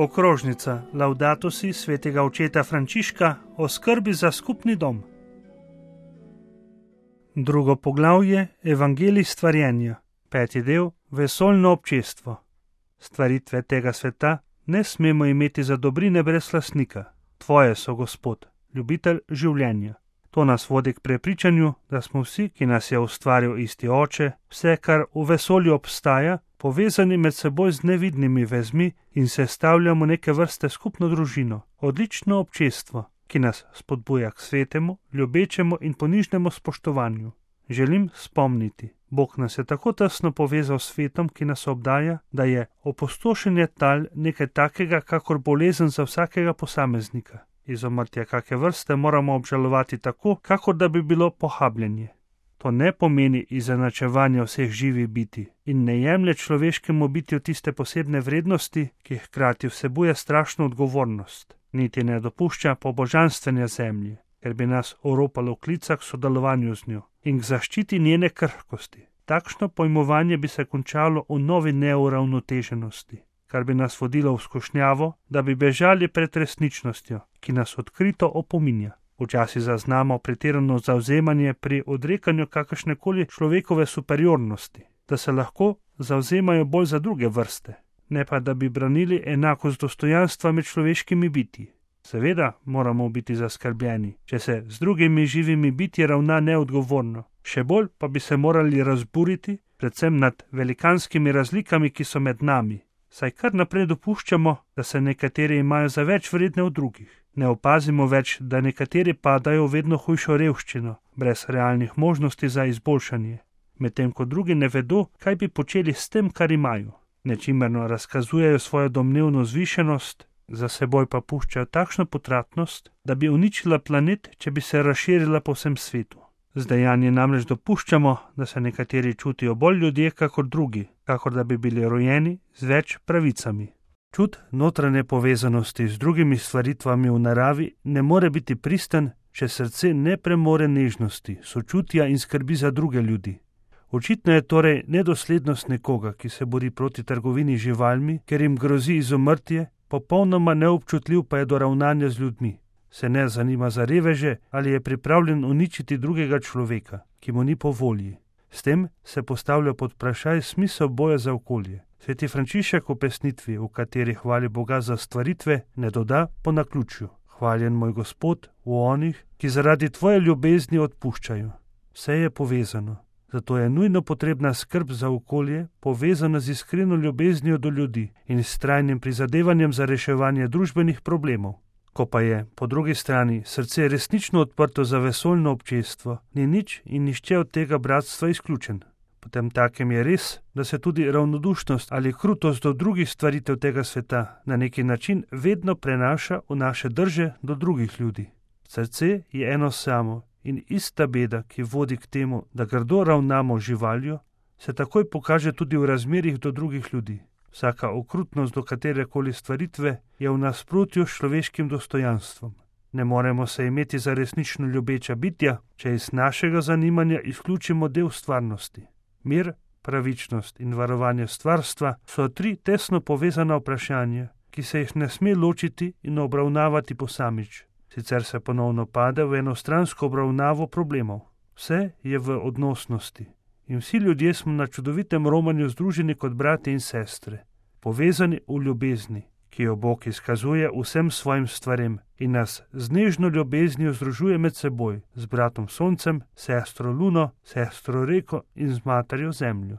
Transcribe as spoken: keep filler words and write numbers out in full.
Okrožnica Laudato si svetega očeta Frančiška o skrbi za skupni dom. Drugo poglavje Evangelij stvarjenja, peti del Vesoljno občestvo. Stvaritve tega sveta ne smemo imeti za dobrine brez lastnika. Tvoje so, Gospod, ljubitelj življenja. To nas vodi k prepričanju, da smo vsi, ki nas je ustvaril isti Oče, vse, kar v vesolju obstaja, povezani med seboj z nevidnimi vezmi in sestavljamo neke vrste skupno družino, odlično občestvo, ki nas spodbuja k svetemu, ljubečemu in ponižnemu spoštovanju. Želim spomniti, Bog nas je tako tesno povezal s svetom, ki nas obdaja, da je opustošenje tal nekaj takega, kakor bolezen za vsakega posameznika. Izumrtje kake vrste moramo obžalovati tako, kakor da bi bilo pohabljenje. To ne pomeni izenačevanja vseh živih biti in ne jemlje človeškemu bitju tiste posebne vrednosti, ki hkrati vsebuje strašno odgovornost, niti ne dopušča pobožanstvenja zemlje, ker bi nas oropalo v klicah k sodelovanju z njo in k zaščiti njene krhkosti. Takšno pojmovanje bi se končalo v novi neuravnoteženosti, kar bi nas vodilo v skušnjavo, da bi bežali pred resničnostjo, ki nas odkrito opominja. Včasih zaznamo pretirano zavzemanje pri odrekanju kakršnekoli človekove superiornosti, da se lahko zavzemajo bolj za druge vrste, ne pa da bi branili enakost dostojanstva med človeškimi bitji. Seveda moramo biti zaskrbljeni, če se z drugimi živimi bitji ravna neodgovorno. Še bolj pa bi se morali razburiti, predvsem nad velikanskimi razlikami, ki so med nami. Saj kar naprej dopuščamo, da se nekateri imajo za več vredne od drugih. Ne opazimo več, da nekateri padajo v vedno hujšo revščino, brez realnih možnosti za izboljšanje, medtem ko drugi ne vedo, kaj bi počeli s tem, kar imajo. Nečimrno razkazujejo svojo domnevno zvišenost, za seboj pa puščajo takšno potratnost, da bi uničila planet, če bi se razširila po vsem svetu. Z dejanjem namreč dopuščamo, da se nekateri čutijo bolj ljudje kakor drugi, kakor da bi bili rojeni z več pravicami. Čut notranje povezanosti z drugimi stvaritvami v naravi ne more biti pristen, če srce ne premore nežnosti, sočutja in skrbi za druge ljudi. Očitno je torej nedoslednost nekoga, ki se bori proti trgovini z živalmi, ker jim grozi izumrtje, popolnoma neobčutljiv pa je do ravnanja z ljudmi. Se ne zanima za reveže ali je pripravljen uničiti drugega človeka, ki mu ni po volji. S tem se postavlja pod vprašaj smisel boja za okolje. Sveti Frančišek v pesnitvi, v kateri hvali Boga za stvaritve, ne doda po naključju: Hvaljen moj Gospod v onih, ki zaradi tvoje ljubezni odpuščajo. Vse je povezano, zato je nujno potrebna skrb za okolje, povezana z iskreno ljubeznijo do ljudi in s trajnim prizadevanjem za reševanje družbenih problemov. Ko pa je, po drugi strani, srce resnično odprto za vesoljno občestvo, ni nič in nišče od tega bratstva izključen. Potem takem je res, da se tudi ravnodušnost ali krutost do drugih stvaritev tega sveta na neki način vedno prenaša v naše drže do drugih ljudi. Srce je eno samo in ista beda, ki vodi k temu, da grdo ravnamo živaljo, se takoj pokaže tudi v razmerjih do drugih ljudi. Vsaka okrutnost do katerekoli stvaritve je v nasprotju s človeškim dostojanstvom. Ne moremo se imeti za resnično ljubeča bitja, če iz našega zanimanja izključimo del stvarnosti. Mir, pravičnost in varovanje stvarstva so tri tesno povezana vprašanja, ki se jih ne sme ločiti in obravnavati posamič. Sicer se ponovno pade v enostransko obravnavo problemov. Vse je v odnosnosti. In vsi ljudje smo na čudovitem romanju združeni kot brati in sestre, povezani v ljubezni, ki jo Bog izkazuje vsem svojim stvarem in nas z nežno ljubeznijo združuje med seboj, z bratom Soncem, sestro Luno, sestro Reko in z materjo Zemljo.